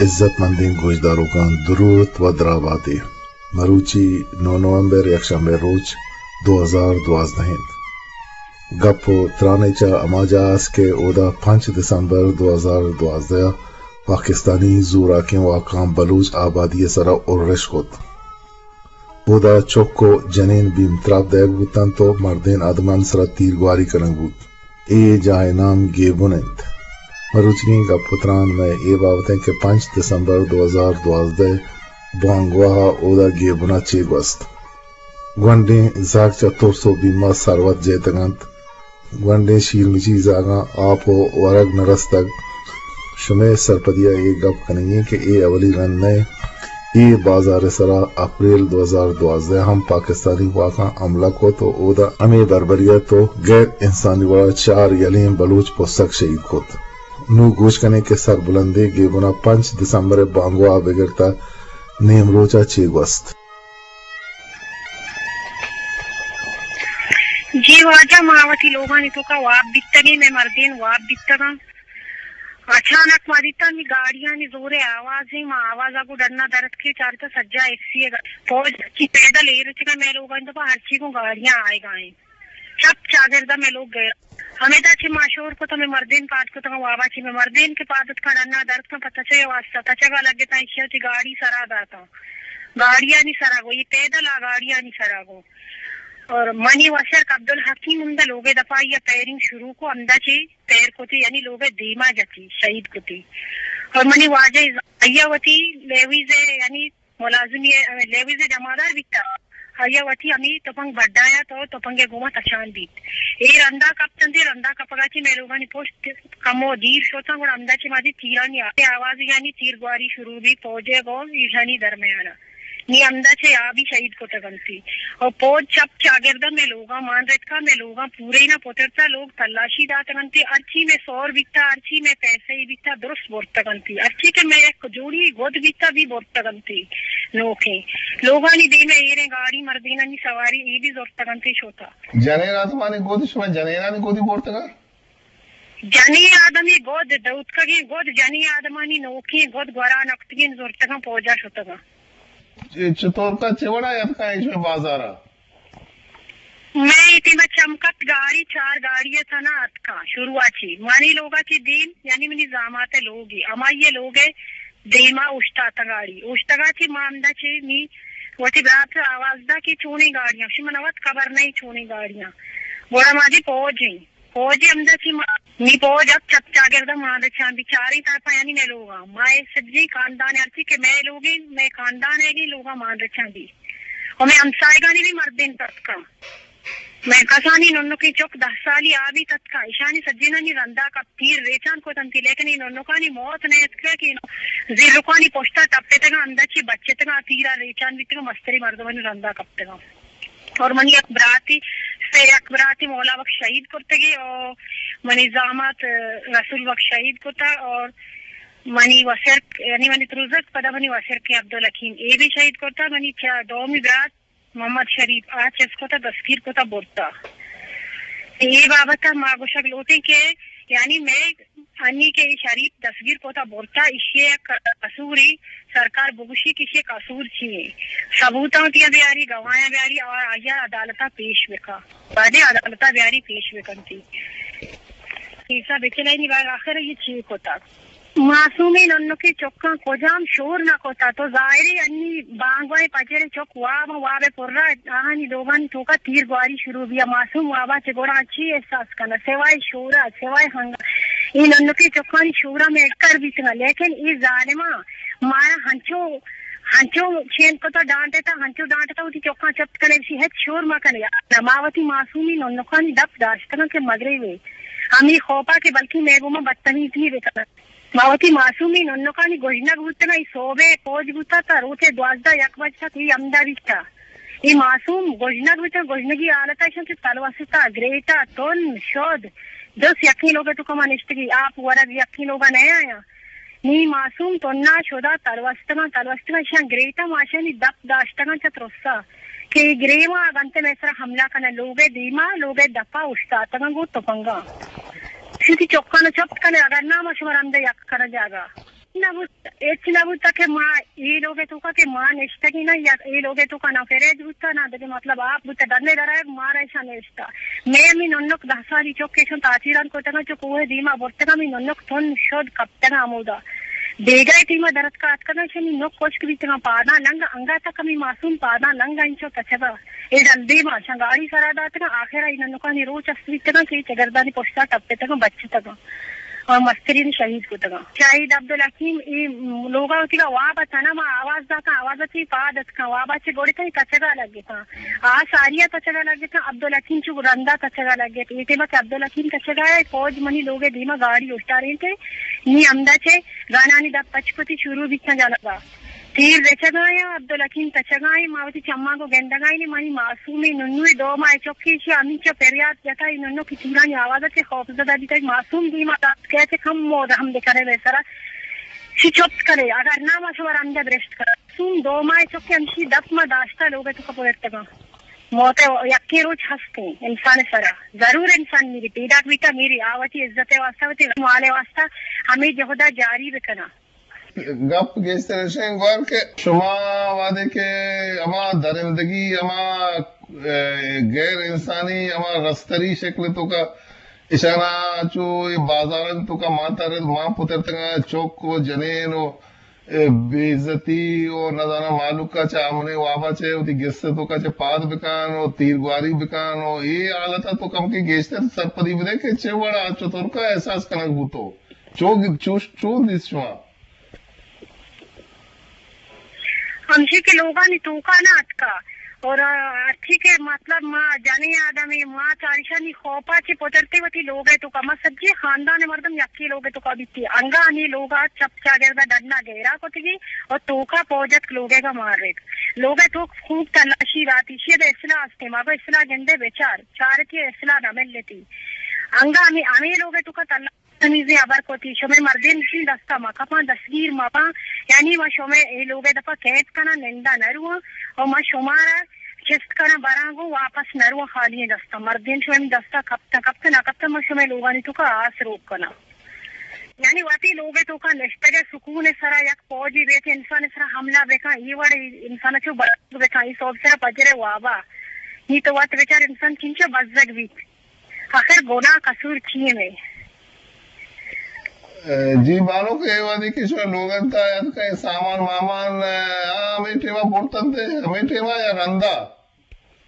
عزت مندیں گوشداروکاں دروت و دراباتے۔ مروچی نو نومبر، یکشنبے روچ، دو ہزار دوازدہ انت۔ گپ و ترانے چہ ہما جاہ است کہ اودا پنچ دسمبر دو ہزار دوازدہ ء پاکستانی زوراکیں واکاں بلوچ آبادی ء سرا ارش کت۔ اودا چک و جنین بیم تراب دئیگ بوتنت و مردین آدمان سرا تیرگواری کنگ بوت۔ اے جاہ ء نام گیبن انت۔ مروچیگیں گپ و تران مئے اے بابت انت کہ پنچ دسمبر دو ہزار دوازدہ ء بانگواہ ء اودا گیبن ء چے گوست۔ گونڈیں زاگ چہ ترس و بیم ء سروت جیتگ انت۔ گونڈیں شیرمچی زاگاں آپ و ورگ نہ رستگ۔ شمئے سرپدی ء اے گپ کنگی ایں کہ اے اولی رند نہ انت۔ اے بازار ء سرا اپریل دو ہزار دوازدہ ء ہم پاکستانی واکاں حملہ کت و اودا ہمے بربریت و غیر انسانی وڑا چار یلیں بلوچ پسگ شہید کت۔ نوں گوش کنیں کہ سربلندیں گیبنا پنچ دسمبر ء بانگواہ ء بگر تا نیمروچ ء چے گوست۔ جی واجہ، ما وتی لوگانی توکا واب بیتگیں، مئے مردین واب بیتگاں۔ اچانک ما دیتا نی گاڑیانی زورے آوازیں، ما آوازا گو ڈنا درتکیں، چارتا سجا ایف سی ء پوج کی پیدل ایر چکا مئے لوگانی توکا ہرچی گوں گاڑیاں آئیگا ایں۔ چپ چاگردا مئے لوگ گئے۔ ہمیدا چہ ما شور کت، ہمے مردین پاد کتگاں، وابا چہ مئے مردین کہ پاد اتکاں ڈنا در اتکاں، پہ تچے واسطہ تچگا لگتاں، ایشی ء چہ گاڑی سرا داتاں۔ گاڑیانی سرا گوں، یہ پیدل آ گاڑیانی سرا گوں۔ اور منی وسرک عبدالحکیم ہمدا لوگے دپا یا فائرنگ شروع کو، ہمدا چہ فائر کتی، یعنی لوگے دیما جتی، شہید کتی۔ اور منی واجہ آیا وتی لیویز یعنی ملازمی ء لیویز ء جمادار بیتا۔ آیا وتی ہمے تپنگ بڈایا تو تپنگ ء گوما تچان بیت۔ اے رندا کپتنت، اے رندا کپگا چہ مئے لوگانی پشت کمو دیر شتاں، گڑا ہمدا چہ ما دی تیرانی آ-، آواز یعنی تیر گواری شروع بیت، فوج ء گوں ایشانی درمیان ء۔ نی ہمدا چہ آ بھی شہید کتگ انتی۔ اور پوج چپ چاگردا مئے لوگاں مان رتکا، مئے لوگاں پورے نہ پترتا، لوگ تلاشی داتگ انتی، ہرچی مئے سور بیتا، ہرچی مئے پیسہ ای بیتا، درست برتگ انتی۔ ہرچی کہ مئے یک جوڑی گد بیتا، بھی برتگ انتی۔ نوکیں لوگانی دیم ء ایریں گاڑی مردینانی سواری ای بھی زرتگ انتی شوتا۔ جنین آدمانی گد، شما جنینانی گدی برتگ؟ جنین آدمی گد، دوتکگیں گد، جنین آدمانی نوکیں گد گورا نکتگیں زرتگاں پوجا شتگاں۔ چ-، چطور کا چہ وڑا یتکا ایشی بازارا؟ مئے اے ٹیم ء چم کپت گاڑی، چار گاڑی ء تھنا اتکاں۔ شروع ء چہ منی لوگ ء چہ دیم، یعنی منی زامات ء لوگ ء، ہمائی ء لوگ ء دیما اوشتاتاں گاڑی۔ اوشتگا چہ ما ہمدا چہ نی وتی برات ء آواز دا کہ چونیں گاڑیاں، شما نہ وت خبر نہیں چونیں گاڑیاں۔ گڑا ما دی پوج ایں۔ پوج ہمدا چہ ما، نی پوج اب چپ چاگرد ء ما دچان بچاریں طرفا یعنی مئے لوگاں۔ ما اے سجیں خاندان ہرچی کہ مئے لوگیں، مئے خاندان ء لوگاں مان رچان دی۔ و مئے ہمسائگانی بھی مردین تتکاں۔ مئے کسانی ننکیں چک دہ سالی آ بھی تتکا۔ ایشانی سجینانی رندا کپ تیر ریچان کتنتی، لیکن اے ننکانی موت نہ اتکا کہ زیرکانی پشتا ٹپتگاں، ہمدا چہ بچتگاں، تیرا ریچان بیتگاں، مستری مردمانی رندا کپتگاں۔ اور منی یک براتی، سے یک براتی مولا بخش شہید کرتگی اور منی زامات رسول بخش شہید کتا اور منی وسرک، یعنی منی تروزک، پدا منی وسرک عبدالحکیم، اے بھی شہید کرتا۔ منی چا-، دومی برات محمد شریف آ چست کتا، دستگیر کتا، برتا۔ اے بابت ما گوشگ لوٹیں کہ یعنی مئے انی کہ اے شریف دستگیر کتا برتا، ایشی ء قصوری سرکار بگوشی کہ ایشی قصور چی ایں؟ ثبوتاں وتی بیاری، گواہاں بیاری اور آیا عدالتا پیش بکا۔ بعدے عدالتا بیاری پیش بکنتی۔ کیسا بچلینی بعد آخر یہ چی کتا؟ معصومیں ننکیں چکاں کجام شور نہ کتا؟ تو ظاہرے انی بانگوائے پجرے چک واب، واب پرا آہانی لوگانی توکا تیر گواری شروع بیا۔ معصوم وابا چہ گڑا چی احساس کنا؟ سوائے شورا، سوائے ہنگا۔ اے ننکیں چکانی شورا میں کر بیتگا، لیکن اے ظالماں مارا ہنچو، ہنچو چین کتا، ڈانٹتا، ہنچو ڈانٹتا، وتی چکاں چپ کنے، بشی ہچ شور مکنے۔ ما وتی معصومی ننکانی دپ داشتگا کہ مگریوے ہمیں خوفا کہ بلکہ میں گوما بدتمیزی بکنا۔ ما وتی معصومیں ننکانی گژنگ بوتگاں، اے صوبے پوج بوتا تا روچے دوازدہ یک بج تک اے ہمدا بیتا۔ اے معصوم گژنگ بوتگاں، گژنگی حالتا ایشاں چہ تلوستا، گریتا، تن، شد، دس یکیں لوگے توکا ما نشتگی، آپ ورگ یکیں لوگا نہ آیاں۔ نی معصوم تنا شدا تلوستگاں، تلوستگاں ایشاں گریتا، ما ایشانی دپ داشتگاں چہ ترسا۔ کہ اے گریواں اگاں تے مئے سرا حملہ کناں، لوگ ء دیما، لوگ ء دپا اوشتاتگاں گوں تپنگاں۔ شتی چکاں چپت کنے، اگر نہ ما شما رند یک کناں جاگہ۔ نہ بوت، ہچ نہ بوتا کہ ما اے لوگ ءِ توکا کہ ما نشتگیں نا، یا اے لوگ ءِ توکا نہ فریج بوتا، نہ دگہ مطلب آپ بوتا، ڈنے درائے مارا ایشاں نشتا۔ مئے ہمے ننک دہ سالی چک ایشاں تاچیران کتگاں، چو کوہ دیما برتگاں، ہمے ننک تن شد کپتگاں ہمودا۔ بیگاہ ٹیما درتکا اتکگاں، ایشانی نک خشک بیتگاں، پاداں لنگ، انگا تک ہمے معصوم پاداں لنگ انچو تچگا۔ اے ڈل دیما شاں گاڑی سرا داتگاں، آخر ءَ اے ننکانی روچ است بیتگاں کہ اے چگردانی پشتا ٹپتگاں، بچتگاں۔ آ مسترین شہید کتگاں۔ شہید عبدالحکیم اے لوگا وتیگا واب اتاں نا، ما آواز داتاں، آواز ءَ چہ پاد اتکاں، وابا چہ گڑتاں اے تچگا لگتاں۔ آ ساریا تچگا لگتاں، عبدالحکیم چو رندا تچگا لگت۔ اے ٹیما کہ عبدالحکیم تچگا اے، فوج منی لوگ ءِ دیما گاڑی اوشتارینت، نی ہمدا چہ گانانی دپ پچ کتی شروع بیتاں جنگا۔ تیر رچگا ایں، عبدالحکیم تچگا ایں، ما وتی چماں گوں گندگا ایں، منی معصومیں ننوے دو ماہ چکے ایشی ہمینچو پریات جتا، اے ننو کہ تیرانی آواز ءَ چہ خوف زدہ بیتا، معصوم دیما دات کہ چہ کم مود ہم بکنے مئے سرا، چی چپت کنے، اگر نہ ما شمارا ہمدا برشت کناں۔ معصوم دو ماہ چکے ہمشی دپ ما داشتا لوگ ءِ توکا پرتگاں۔ موت یکے روچ ہستیں انسان سرا، ضرور انسان میری، پیداک بیتا میری، آ وتی عزت ءِ واسطہ، وتی مال ءِ واسطہ ہمے جہدا جاری بکناں۔ گپ گیشتر ایشیں گوار کہ شما وہدے کہ ہما درندگی، ہما، اے، غیر انسانی، ہما رستری شکل توکا اشانا چو اے بازاران توکا مان ترت، مان پترتگاں، چک و جنین و، اے، بے عزتی و نزاناں مالوکا چہ امن وابا چہ وتی گس توکا چہ پاد بکن و تیرگواری بکن و اے حالتا تو کم کہ گیشتر سرپدی بدے کہ چہ وڑا چطور کا احساس کنگ بوتو۔ چو، چو، چون دیست شما؟ ہمشی کہ لوگانی توکا نہ اتکا اور ہرچی کہ مطلب ما جنیں آدمے، ما چارشانی خوفا چہ پترتے وتی لوگ ءِ توکا، ما سجی خاندان مردم یکی لوگ ءِ توکا بیتی، انگا ہمے لوگا چپ چاگردا ڈنا گہرا کتگی اور توکا فوج اتک لوگ ءَ گا مارت۔ لوگ ءِ توک خوب تلاشی داتی، شی ادا اسلحہ استیں، ما گو اسلحہ گندے بچار، چارتی اسلحہ نہ ملتی۔ انگا ہمے، ہمے لوگ ءِ توکا تلاشی تمیزیں ہبر کتی، شمئے مردین شی دستا مکپاں، دستگیر مباں، یعنی ما شمئے اے لوگ ءِ دپا کیمپ کناں، نندا نہ رواں، اور ما شمارا چست کناں براں گوں واپس نہ رواں خالی دستا۔ مردین شمئے دستا کپتاں، کپتاں نہ کپتاں، ما شمئے لوگانی توکا آس روک کناں۔ یعنی وتی لوگ ءِ توکا نشتگ ءِ سکون ءِ سرا یک فوجی بیت انسان ءِ سرا حملہ بکن، اے وڑ انسان چو بزگ بکن، اے سوب سرا پجر ءِ وابا، نی تو وت بچار انسان چنچو بزگ بیت۔ آخر گناہ قصور چی ایں مئے؟ اے، جی بانک، اے وہدی کہ شما لوگ انت، آیات کا سامان مامان، اے، آ، ہمے ٹیما برتنت، ہمے ٹیما یا رندا؟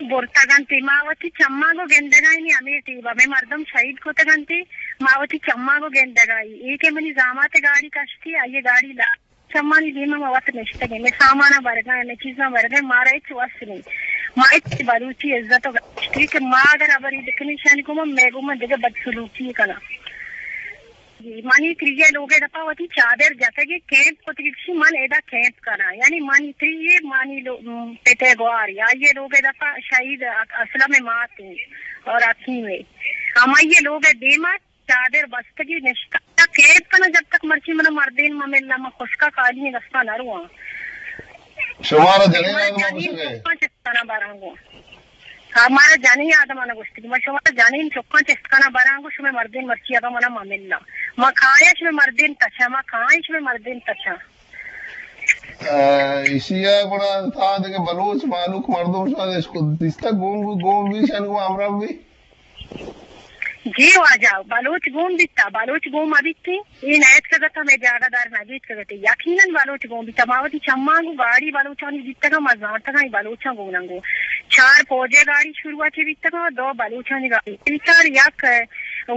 برتگ انت، ما وتی چماں گوں گندگا ایں، ہمے ٹیما مئے مردم شہید کتگ انت، ما وتی چماں گوں گندگا ایں۔ اے کہ منی زامات گاڑی کشتی، آئی گاڑی لا چمانی دیما ما وت نشتگیں، مئے ساماناں برگا ایں، مئے چیزاں برگا ایں، مارا ہچ وس نیں۔ ما ہچ بلوچی عزت و گشتی کہ ما اگر ہبری بکنیں شانی گوما، مئے گوما دگہ بدسلوکی کناں۔ جی، منی تریے لوگے دپا وتی چادر جتگی کیمپ کتگی، گشی من ادا کیمپ کناں۔ یعنی منی تریے، منی لو-، م، پتے گوار، آئیے لوگے دپا شہید اسلم ماتے اور حکیمے۔ ہمائی لوگے دیما چادر بستگی نشتہ۔ کیمپ کناں جب تک مرچی منا مردین مہ ملا، من خشکا خالی دستا نہ رواں۔ شمارا جنین آدم گوشگے؟ چکاں چست کناں براں گوں۔ ہاں، مارا جنین آدم آنا گوشتگی، من شمارا جنین چکاں چست کناں براں گوں، شمئے مردین مرچی اگاں منا مہ ملا۔ ما کایاں شمئے مردین تچاں، ما کایاں شمئے مردین تچاں۔ آ، ایشی ء گڑا تا دگہ بلوچ مہلوک مردم شاید اش کو دیستہ گون بی، گون بی شان گوں ہمراہ بی۔ جی واجہ، بلوچ گون بیتا، بلوچ گون مہ بیتی، اے نیتکگتا، مئے جاگہ دار نہ گیتکگتے۔ یقیناً بلوچ گون بیتا، ما وتی چماں گوں گاڑی بلوچانی دیتگا، ما زانتگاں اے بلوچاں گوناں گوں۔ چار فوجے گاڑی شروع ء چہ بیتگا، دو بلوچانی گاڑی بیتا، یک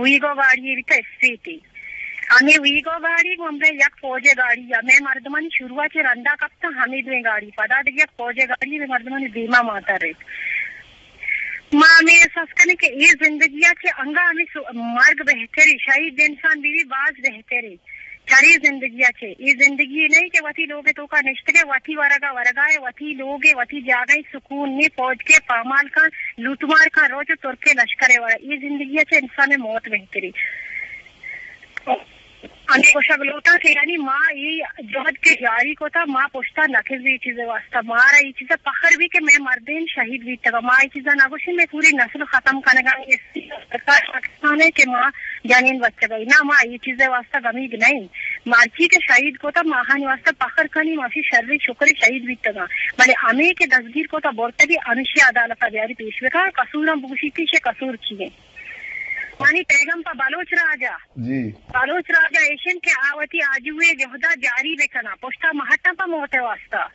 ویگو گاڑی بیتا اسپیتی۔ ہمے ویگو گاڑی گوں ہمے یک فوجے گاڑی، ہمے مردمانی شروع ء چہ رندا کپتاں ہمے دوئیں گاڑی، پدا دگہ یک فوجے گاڑی ہمے مردمانی دیما ماتا ریت۔ ما ہمے احساس کنیں کہ اے زندگی ء چہ انگا ہمے سو-، مرگ بہتریں، شہید انسان بیوی باز بہتریں۔ چرے زندگی ء چہ، اے زندگی نہیں کہ وتی لوگ توکا نشتگے، وتی ورگا ورگا ہے، وتی لوگ ہے، وتی جاگہ ہے، سکون نے، فوج کے پامال کن، لوٹمار کن، روچ ترکے لشکر ہے وڑا۔ اے زندگی ء چہ انسان موت بہتریں۔ ہمے گوشگ لوٹاں کہ یعنی ما اے جہد کہ جاری کتا، ما پشتا نہ کزیں اے چیز واسطہ، مارا اے چیز فخر بھی کہ مئے مردین شہید بیتگا، ما اے چیزا نہ گوشیں، مئے پوری نسل ختم کنگا، اے سرکار پاکستان ہے کہ ما جنین بچگئی، نہ، ما اے چیز ءِ واسطہ گمیگ نہ ایں۔ مرچی کہ شہید کتا، ما آہانی واسطہ فخر کنیں، ما وتی شریں شکر شہید بیتگاں، بلے ہمے کہ دزگیر کتا برتگی، ہمیشی عدالت ءَ بیاری پیش بکن، قصوراں بگوشیت، ایشی قصور چی ایں؟ منی پیغام پہ بلوچ راج ءَ، جی۔ بلوچ راج ءَ ایش اِنت کہ آ وتی آجوئی ءِ جہد ءَ جاری بکناں، پشت ءَ مہ ہٹاں پہ موت ءِ واسطہ۔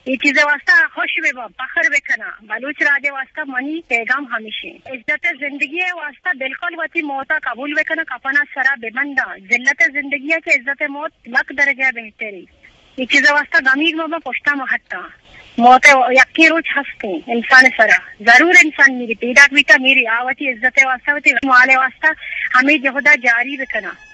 اے چیز ءِ واسطہ خوش بہ باں، فخر بہ کناں۔ بلوچ راج ءِ واسطہ منی پیغام ہمیش اِنت۔ عزت ءِ زندگی ءِ واسطہ بالکل وتی موت ءَ قبول بہ کناں، کفن ءَ سر ءَ بہ بنداں۔ ذلت ءِ زندگی ءَ کہ عزت ءِ موت لکھ درجہ بہتر اِنت۔ اے چیز ءِ واسطہ گمیگ مہ باں، پشت ءَ مہ ہٹاں۔ موت ءِ یکیں روچ ہست اِنت انسان ءِ سر ءَ۔ ضرور انسان میری، پیداک بیتا میری، آ وتی عزت ءِ واسطہ، وتی مال ءِ واسطہ ہمے جہد ءَ جاری بہ کناں۔